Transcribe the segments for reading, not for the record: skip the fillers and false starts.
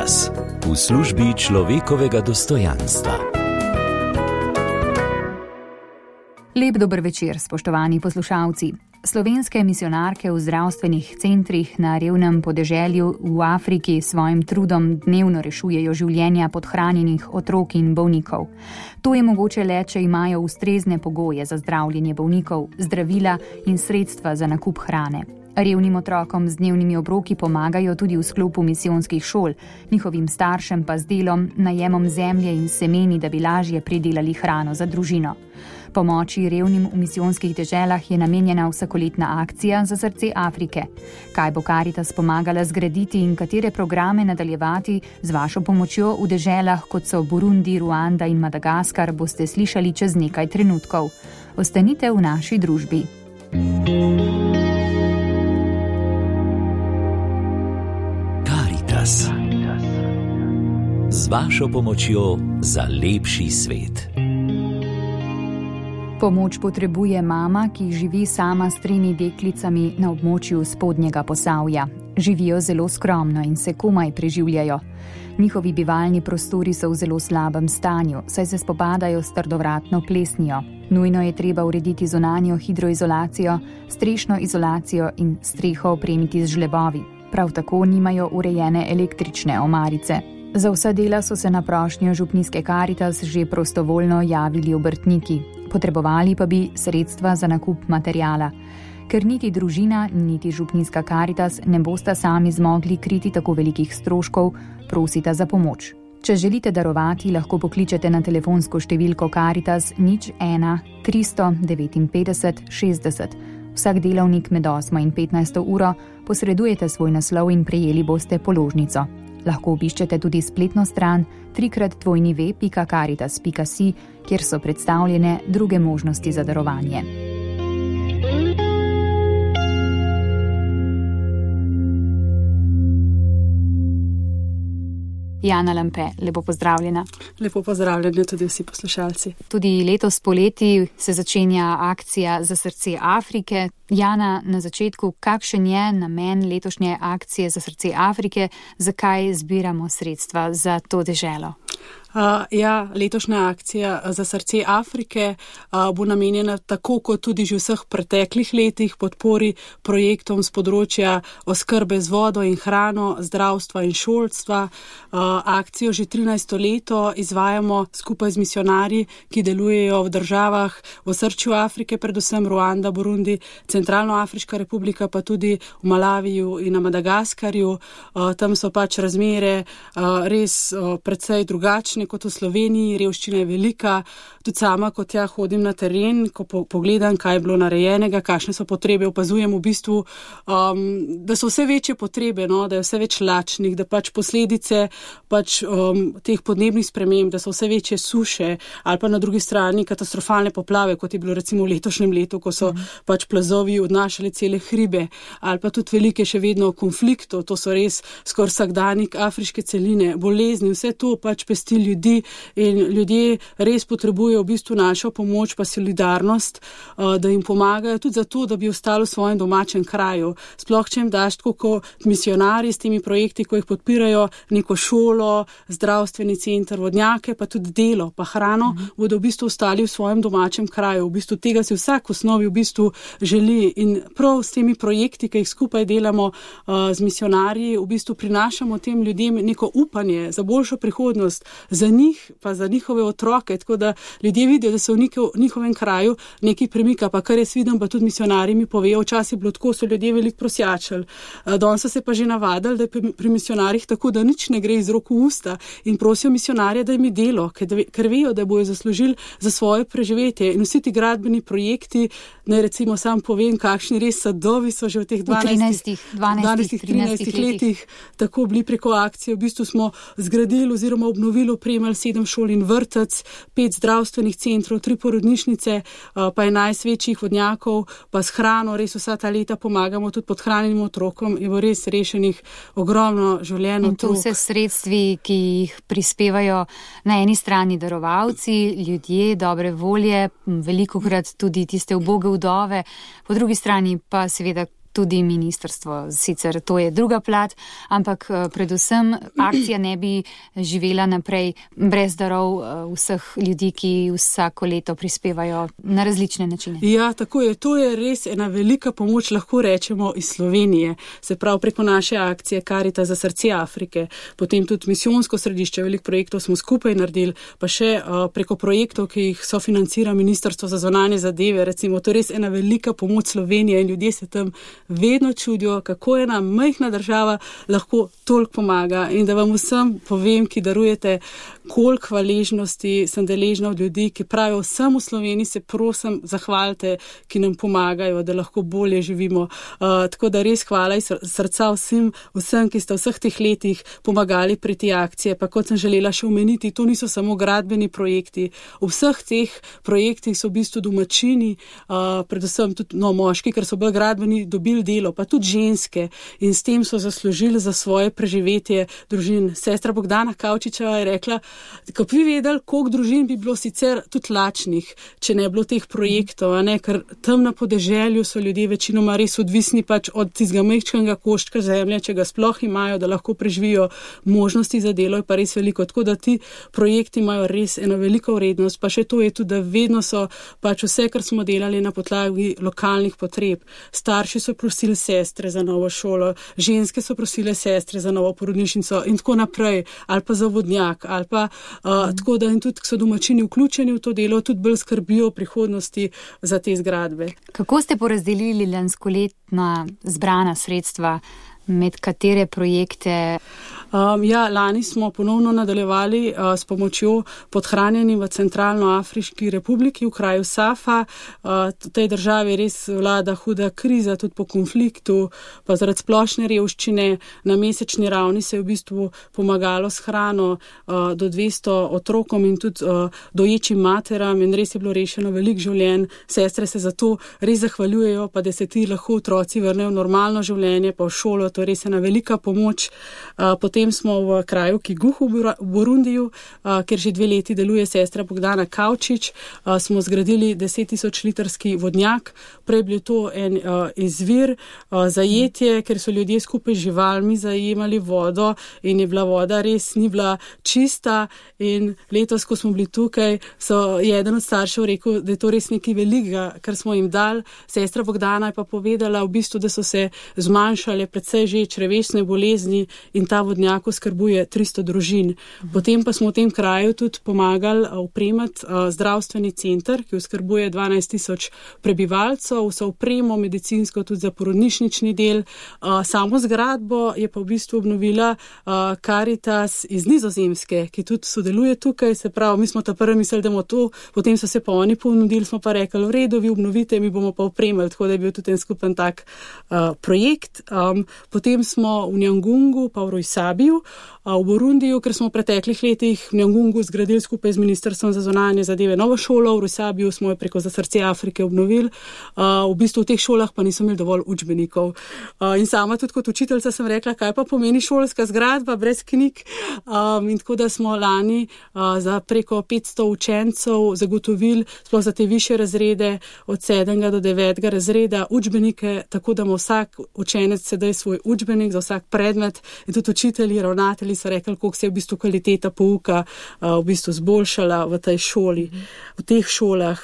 Karitas v službi človekovega dostojanstva. Lep dober večer, spoštovani poslušalci. Slovenske misionarke v zdravstvenih centrih na revnem podeželju v Afriki s svojim trudom dnevno rešujejo življenja podhranjenih otrok in bolnikov. To je mogoče le, če imajo ustrezne pogoje za zdravljenje bolnikov, zdravila in sredstva za nakup hrane. Revnim otrokom z dnevnimi obroki pomagajo tudi v sklopu misijonskih šol, njihovim staršem pa z delom, najemom zemlje in semeni, da bi lažje pridelali hrano za družino. Pomoči revnim v misijonskih deželah je namenjena vsakoletna akcija za srce Afrike. Kaj bo Karitas pomagala zgraditi in katere programe nadaljevati z vašo pomočjo v deželah, kot so Burundi, Ruanda in Madagaskar, boste slišali čez nekaj trenutkov. Ostanite v naši družbi. Karitas. Z vašo pomočjo za lepši svet. Pomoč potrebuje mama, ki živi sama s 3 deklicami na območju Spodnjega Posavja. Živijo zelo skromno in se komaj preživljajo. Njihovi bivalni prostori so v zelo slabem stanju, saj se spopadajo s trdovratno plesnijo. Nujno je treba urediti zunanjo hidroizolacijo, strešno izolacijo in streho opremiti z žlebovi. Prav tako nimajo urejene električne omarice. Za vsa dela so se na prošnjo župnijske Karitas že prostovoljno javili obrtniki. Potrebovali pa bi sredstva za nakup materijala. Ker niti družina, niti župnijska Karitas ne bosta sami zmogli kriti tako velikih stroškov, prosita za pomoč. Če želite darovati, lahko pokličete na telefonsko številko Karitas 01 359 60. Vsak delavnik med 8 in 15 uro posredujete svoj naslov in prejeli boste položnico. Lahko obiščete tudi spletno stran www.caritas.si, kjer so predstavljene druge možnosti za darovanje. Jana Lampe, lepo pozdravljena. Lepo pozdravljeni tudi vsi poslušalci. Tudi letos poleti se začenja akcija za srce Afrike. Jana, na začetku, kakšen je namen letošnje akcije za srce Afrike, zakaj zbiramo sredstva za to deželo? Letošnja akcija za srce Afrike bo namenjena tako kot tudi že vseh preteklih letih podpori projektom z področja oskrbe z vodo in hrano, zdravstva in šolstva. Akcijo že 13. leto izvajamo skupaj z misionarji, ki delujejo v državah v osrčju Afrike, predvsem Ruanda, Burundi, Centralnoafriška republika, pa tudi v Malaviju in na Madagaskarju. Tam so pač razmere res precej drugačne kot v Sloveniji, revščina je velika. Tudi sama, kot hodim na teren, ko pogledam, kaj je bilo narejenega, kakšne so potrebe, opazujem v bistvu, da so vse večje potrebe, da je vse več lačnih, da pač posledice teh podnebnih sprememb, da so vse večje suše ali pa na drugi strani katastrofalne poplave, kot je bilo recimo v letošnjem letu, ko so pač plazovi odnašali cele hribe, ali pa tudi velike še vedno konfliktov, to so res skoraj vsakdanjik afriške celine, bolezni, vse to pač pesti ljudi in ljudje res potrebujejo v bistvu našo pomoč pa solidarnost, da jim pomagajo tudi zato, da bi ostali v svojem domačem kraju. Sploh, če jim daš tako kot misionarji s temi projekti, ko jih podpirajo, neko šolo, zdravstveni center, vodnjake, pa tudi delo, pa hrano, bodo v bistvu ostali v svojem domačem kraju. V bistvu tega si vsak v osnovi v bistvu želi in prav s temi projekti, ki jih skupaj delamo z misionarji, v bistvu prinašamo tem ljudem neko upanje za boljšo prihodnost, za njih, pa za njihove otroke, tako da ljudje vidijo, da se v njihovem kraju nekaj premika, pa kar jaz vidim, pa tudi misionarji mi povejo, včasih bilo tako, so ljudje veliko prosjačili. Danes so se pa že navadili, da je pri misionarjih tako, da nič ne gre iz rok v usta in prosijo misionarje, da jim je delo, ker vejo, da bojo zaslužili za svoje preživetje. In vsi ti gradbeni projekti, ne recimo sam povem, kakšni res sadovi so že v teh 12-13 letih tako bili preko akcije. V bistvu smo zgradili oziroma obnovili, opremili 7 šol in vrtec, 5 zdravstvenih centrov, 3 porodnišnice, pa 11 večjih vodnjakov, pa s hrano, res vsa ta leta pomagamo tudi podhranjenim otrokom in bo res rešenih ogromno življenj otrok. In to vse sredstvi, ki jih prispevajo na eni strani darovalci, ljudje dobre volje, velikokrat tudi tiste uboge vdove, po drugi strani pa seveda tudi ministrstvo. Sicer to je druga plat, ampak predvsem akcija ne bi živela naprej brez darov vseh ljudi, ki vsako leto prispevajo na različne načine. Ja, tako je. To je res ena velika pomoč, lahko rečemo, iz Slovenije. Se pravi, preko naše akcije Caritas za srce Afrike, potem tudi misijonsko središče, veliko projektov smo skupaj naredili, pa še preko projektov, ki jih sofinancira Ministrstvo za zunanje zadeve, recimo, to je res ena velika pomoč Slovenije in ljudje se tam vedno čudijo, kako ena majhna država lahko toliko pomaga. In da vam vsem povem, ki darujete, koliko hvaležnosti sem deležna od ljudi, ki pravijo, vsem v Sloveniji se prosim zahvalite, ki nam pomagajo, da lahko bolje živimo. Tako da res hvala iz srca vsem, ki ste vseh teh letih pomagali pri te akcije. Pa kot sem želela še omeniti, to niso samo gradbeni projekti. V vseh teh projektih so v bistvu domačini, predvsem tudi moški, ker so bolj gradbeni, dobili delo, pa tudi ženske. In s tem so zaslužili za svoje preživetje družin. Sestra Bogdana Kavčičeva je rekla, ko bi vedeli, koliko družin bi bilo sicer tudi lačnih, če ne bilo teh projektov, ker tam na podeželju so ljudje večinoma res odvisni pač od tistega majčkega koščka zemlje, če ga sploh imajo, da lahko preživijo, možnosti za delo je pa res veliko. Tako da ti projekti imajo res eno veliko vrednost, pa še to je tudi, da vedno so pač vse, kar smo delali na podlagi lokalnih potreb. Starši so prosili sestre za novo šolo, ženske so prosile sestre za novo porodnišnico in tako naprej, ali pa za vodnjak, ali pa tako da in tudi so domačini vključeni v to delo, tudi bolj skrbijo v prihodnosti za te zgradbe. Kako ste porazdelili lanskoletna zbrana sredstva, med katere projekte? Lani smo ponovno nadaljevali s pomočjo podhranjenim v Centralnoafriški republiki v kraju Safa. V tej državi res vlada huda kriza, tudi po konfliktu, pa zaradi splošne revščine. Na mesečni ravni se je v bistvu pomagalo s hrano do 200 otrokom in tudi doječim materam in res je bilo rešeno veliko življenj. Sestre se zato res zahvaljujejo, pa da se ti lahko otroci vrnejo v normalno življenje, pa v šolo, to je res ena velika pomoč. Potem smo v kraju Kiguhu v Burundiju, kjer že 2 leti deluje sestra Bogdana Kavčič, smo zgradili 10.000 litrski vodnjak. Prej bil to en izvir, zajetje, ker so ljudje skupaj z živalmi zajemali vodo in je bila voda res ni bila čista in letos, ko smo bili tukaj, je eden od staršev rekel, da je to res nekaj velikega, kar smo jim dali. Sestra Bogdana je pa povedala v bistvu, da so se zmanjšale predvsej že črevesne bolezni in ta vodnjak oskrbuje 300 družin. Potem pa smo v tem kraju tudi pomagali opremati zdravstveni center, ki oskrbuje 12.000 prebivalcev, vso opremo medicinsko tudi za porodnišnični del. Samo zgradbo je pa v bistvu obnovila Caritas iz Nizozemske, ki tudi sodeluje tukaj, se pravi, mi smo ta prvi mislili, da bomo to, potem so se pa oni ponudili, smo pa rekli, v redu, vi obnovite, mi bomo pa opremili, tako da je bil tudi en skupen tak projekt. Potem smo v Nyangungu pa v Rojsabiju, v Burundiju, ker smo v preteklih letih v Nyangungu zgradili skupaj z Ministrstvom za zunanje zadeve novo šolo, v Rojsabiju smo jo preko Za srce Afrike obnovili. V bistvu v teh šolah pa nismo imeli dovolj učbenikov. In sama tudi kot učiteljica sem rekla, kaj pa pomeni šolska zgradba brez knjig. In tako da smo lani za preko 500 učencev zagotovili, sploh za te višje razrede, od 7. do 9. razreda, učbenike, tako da ima vsak učenec sedaj svoj učbenik za vsak predmet. In tudi učitelji, ravnatelji so rekli, koliko se je v bistvu kvaliteta pouka v bistvu zboljšala v tej šoli, v teh šolah.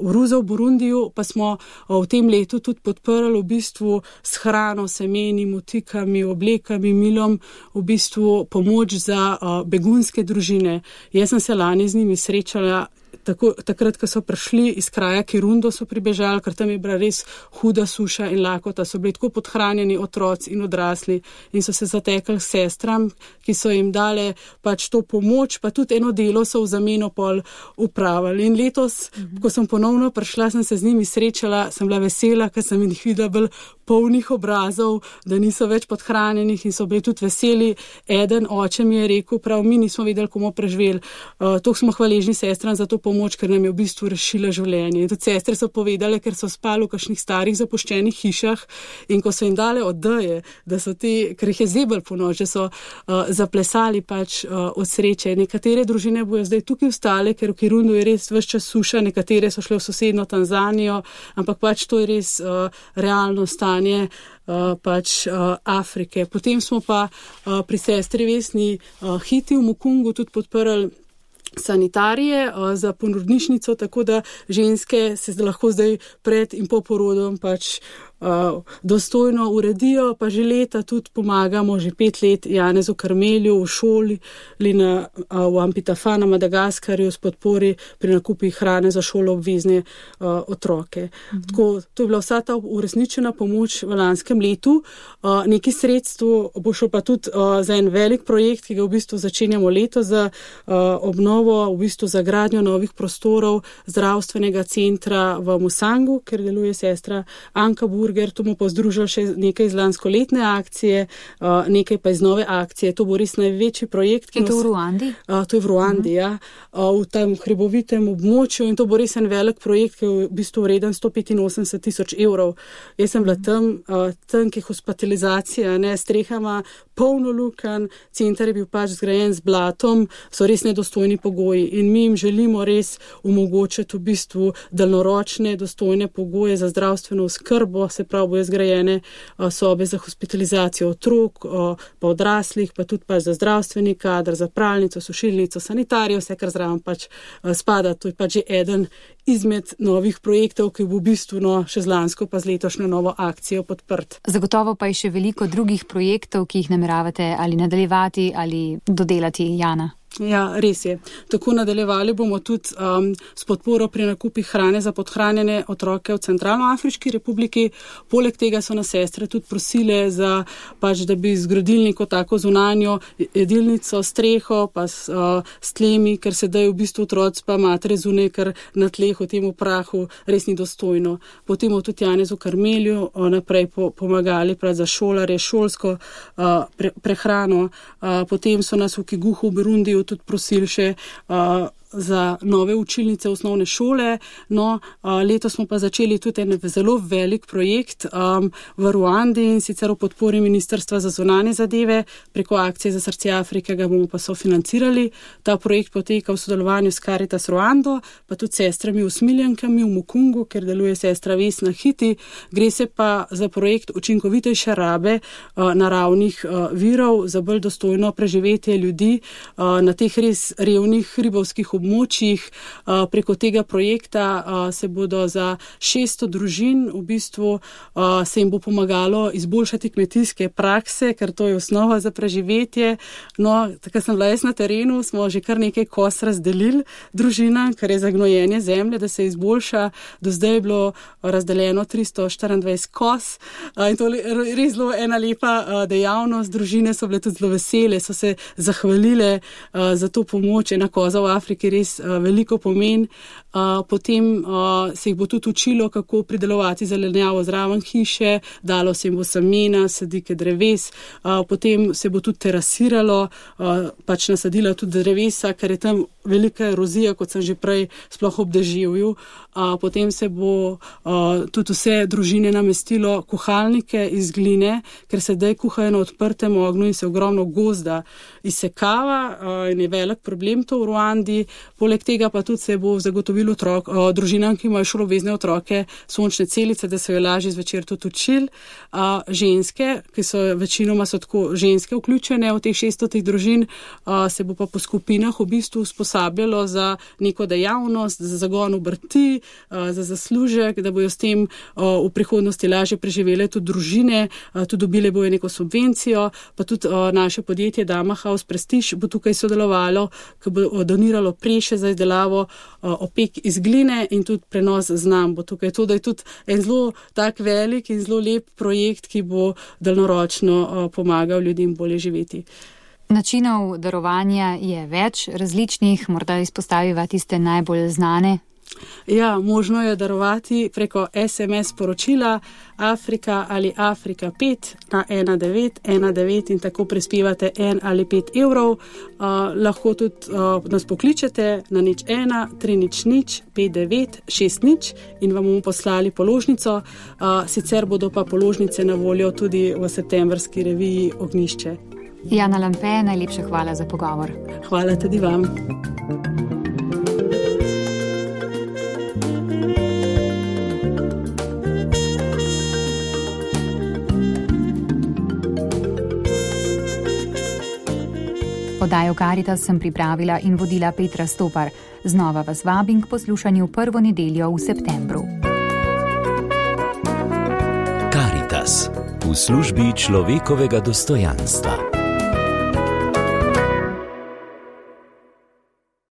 V Ruza v Burundiju pa smo v tem letu tudi podprli v bistvu s hrano, semeni, motikami, oblekami, milom, v bistvu pomoč za begunske družine. Jaz sem se lani z njimi srečala takrat, ko so prišli iz kraja Kirundo, so pribežali, ker tam je bila res huda suša in lakota, so bili tako podhranjeni otroci in odrasli in so se zatekali k sestram, ki so jim dale pač to pomoč, pa tudi eno delo so v zameno pol upravili. In letos, ko sem ponovno prišla, sem se z njimi srečala, sem bila vesela, ker sem jih videla bolj polnih obrazov, da niso več podhranjenih in so bili tudi veseli. Eden oče mi je rekel, prav mi nismo vedeli, komu preživeli. To smo hvaležni sestram za to pomoč, ker nam je v bistvu rešila življenje. In tudi sestre so povedale, ker so spali v kakšnih starih zapuščenih hišah in ko so jim dale odeje, da so ker jih je zebel po noč, da so zaplesali pač od sreče. Nekatere družine bojo zdaj tukaj ostale, ker v Kirundu je res ves čas suša, nekatere so šle v sosedno Tanzanijo, ampak pač to je res realno stanje pač Afrike. Potem smo pa pri sestri Vesni Hiti v Mukungu tudi podprli sanitarije za porodnišnico, tako da ženske se lahko zdaj pred in po porodom pač dostojno uredijo, pa že leta tudi pomagamo, že 5 let Janezu Karmelju v šoli v Ampitafa na Madagaskarju s podpori pri nakupih hrane za šolo obvezne otroke. Tako, to je bila vsa ta uresničena pomoč v lanskem letu. Nekaj sredstv bo šlo pa tudi za en velik projekt, ki ga v bistvu začenjamo leto za obnovo, v bistvu za gradnjo novih prostorov zdravstvenega centra v Musangu, ker deluje sestra Anka Burger. To bomo pa združili še nekaj iz lanskoletne akcije, nekaj pa iz nove akcije. To bo res največji projekt. Je to v Ruandi? To je v Ruandi, ja. V tem hribovitem območju in to bo res en velik projekt, ki je v bistvu vreden 185,000 evrov. Jaz sem bila tam, ki je hospitalizacija, strehama polno lukenj, center je bil pač zgrajen z blatom, so res nedostojni pogoji in mi jim želimo res omogočiti v bistvu daljnoročne, dostojne pogoje za zdravstveno oskrbo, se pravi bojo zgrajene sobe za hospitalizacijo otrok, pa odraslih, pa tudi pač za zdravstveni kader, za pralnico, sušilnico, sanitarijo, vse kar zraven pač spada. To je pač že eden izmed novih projektov, ki bo v bistvu še z lansko pa z letošnjo novo akcijo podprt. Zagotovo pa je še veliko drugih projektov, ki jih nameravate ali nadaljevati ali dodelati, Jana. Ja, res je. Tako nadaljevali bomo tudi s podporo pri nakupih hrane za podhranjene otroke v Centralnoafriški republiki. Poleg tega so nas sestre tudi prosile za pač, da bi zgradili neko tako zunanjo jedilnico, streho, pa s tlemi, ker sedaj v bistvu otroci pa matere zunaj, ker na tleh v tem prahu res ni dostojno. Potem tudi Janezu Karmelju naprej pomagali prav za šolare, šolsko prehrano. Potem so nas v Kiguhu v Burundiju tudi prosili še za nove učilnice osnovne šole. Letos smo pa začeli tudi en zelo velik projekt v Ruandi in sicer v podpori Ministrstva za zunanje zadeve. Preko akcije za srce Afrike ga bomo pa sofinancirali. Ta projekt poteka v sodelovanju s Caritas Ruando, pa tudi sestrami usmiljankami v Mukungu, ker deluje sestra Vesna Hiti. Gre se pa za projekt učinkovitejše rabe naravnih virov za bolj dostojno preživetje ljudi na teh res revnih hribovskih območjih. Preko tega projekta se bodo za 600 družin v bistvu se jim bo pomagalo izboljšati kmetijske prakse, ker to je osnova za preživetje. Tako sem bila jaz na terenu, smo že kar nekaj kos razdelili družinam, kar je za gnojenje zemlje, da se izboljša. Do zdaj je bilo razdeljeno 324 kos in to je res zelo ena lepa dejavnost. Družine so bile tudi zelo vesele, so se zahvalile za to pomoč. Ena koza v Afriki res veliko pomen. Potem se jih bo tudi učilo, kako pridelovati zelenjavo zraven hiše, dalo se jim bo semena, sadike dreves, potem se bo tudi terasiralo, pač nasadila tudi drevesa, ker je tam velika erozija, kot sem že prej sploh ob deževju. Potem se bo tudi vse družine namestilo kuhalnike iz gline, ker se zdaj kuhajo na odprtem ognju in se ogromno gozda izsekava in je velik problem to v Ruandi. Poleg tega pa tudi se bo zagotovilo družinam, ki imajo šoloobvezne otroke, sončne celice, da se jo lažje zvečer tudi učili. Ženske, ki so večinoma tako ženske vključene v teh 600 družin, se bo pa po skupinah v bistvu usposabljalo za neko dejavnost, za zagon obrti, za zaslužek, da bojo s tem v prihodnosti lažje preživele tudi družine, tudi dobile bojo neko subvencijo, pa tudi naše podjetje Dama House Prestige bo tukaj sodelovalo, ki bo doniralo preše za izdelavo opek iz gline in tudi prenos znam bo tukaj. To, da je tudi en zelo tak velik in zelo lep projekt, ki bo daljnoročno pomagal ljudem bolje živeti. Načinov darovanja je več različnih, morda izpostaviva tiste najbolj znane. Ja, možno je darovati preko SMS sporočila Afrika ali Afrika 5 na 1919 in tako prispevate 1 ali 5 evrov. Lahko tudi nas pokličete na 01 300 59 60 in vam bomo poslali položnico. Sicer bodo pa položnice na voljo tudi v septembrski reviji Ognjišče. Jana Lampe, najlepša hvala za pogovor. Hvala tudi vam. Oddajo Karitas sem pripravila in vodila Petra Stopar. Znova vas vabim k poslušanju prvo nedeljo v septembru. Karitas v službi človekovega dostojanstva.